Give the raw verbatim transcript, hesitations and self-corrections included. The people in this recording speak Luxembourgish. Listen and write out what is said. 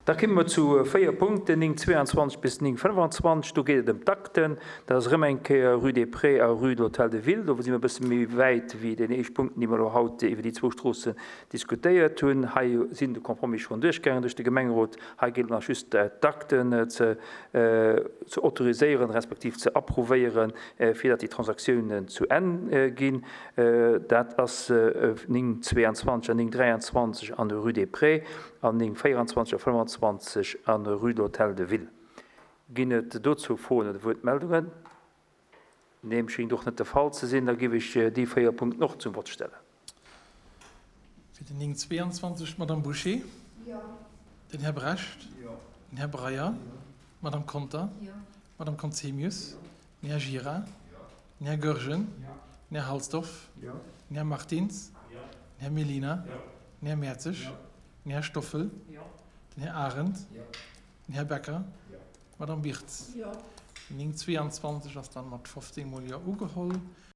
Da komme mer zu véier Punkten, néng zwéianzwanzeg bis néng fënnefanzwanzeg. Do geet et ëm d'Akten. Dat ass erëm eng Kéier Rue des Prés a Rue de l'Hôtel de Ville. Do si mer e bësse méi wäit wéi deen éischt Punkten, déi mer elo haut iwwer déi zwou Stroossen diskutéiert hunn. Hei sinn de Compromis schonn duerchgaangen duerch de Gemengerot. Hei geet et nach just d'Akten ze ze autoriséieren, respektiv ze approuvéieren, fir datt déi Transaktiounen zu Enn ginn. Dat ass néng zwéianzwanzeg an néng dräianzwanzeg an der Rue des Prés an néng véieranzwanzeg a fënnefanzwanzeg an der Rue de l'Hôtel de Ville. Ginn et dozou Froen oder Wuertmeldungen? Deem schéngt och net de Fall ze sinn. Da géif ech déi véier Punkten och zum Vott stellen. Fir den néng zwéianzwanzeg d'Madame Bouché. Den Här Brecht. Den Här Breyer. D'Madame Conter. D'Madame Conzemius. Den Här Gira. Den Här Goergen. Den Här Halsdorf. Den Här Martins. Den Här Mellina. Den Här Mertzig. Den Här Stoffel. Den Här Arendt. Den Här Becker. D'Madame Birtz. Den néng zwéianzwanzeg ass dann mat fofzéng mol Jo ugeholl.